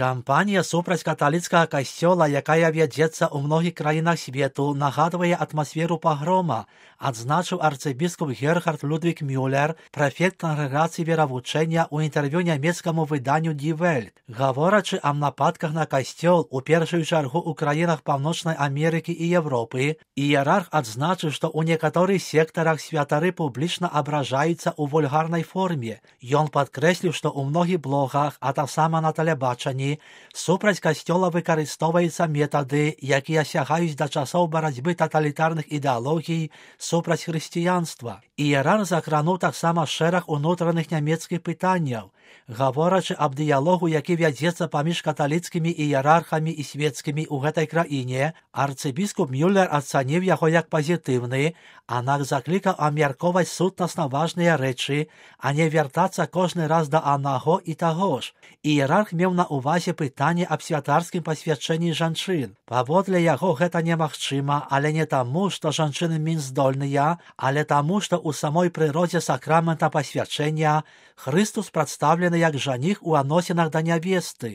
Кампанія супраць каталіцкага касцёла, якая вядзецца ў многіх краінах свету, нагадвае атмасферу пагрома, адзначыў арцыбіскуп Герхард Людвік Мюллер, прэфект кангрэгацыі веравучэння ў інтэрв'ю нямецкаму выданню Die Welt. Гаворачы аб нападках на касцёл, у першую чаргу ў краінах Паўночнай Амерыкі і Европы, іерарх адзначыў, што ў некаторых сектарах святары публічна абражаюцца ў вульгарнай форме. Ён падкрэсліў, што ў многіх блогах, а таксама на тэлебачанні, супраць касцёла выкарыстоўваюцца метады, якія сягаюць да часоў барацьбы таталітарных ідэалогій супраць хрысціянства. Іерарх закрануў таксама шэраг унутраных нямецкіх пытанняў. Гаворачы аб дыялогу, які вядзецца паміж каталіцкімі іерархамі і свецкімі ў гэтай краіне, арцыбіскуп Мюллер ацаніў яго як пазітыўны, аднак заклікаў абмяркоўваць сутнасна важныя рэчы, а не вяртацца кожны раз да аднаго і таго ж. Іерарх меў на ўвазе пытанне аб святарскім пасвячэнні жанчын. Паводле яго гэта немагчыма, але не таму, што жанчыны менш здольныя, але таму, што ў самой прыродзе сакрамента пасвячэння Хрыстус прадстаўлены як жаніх у адносінах да нявесты.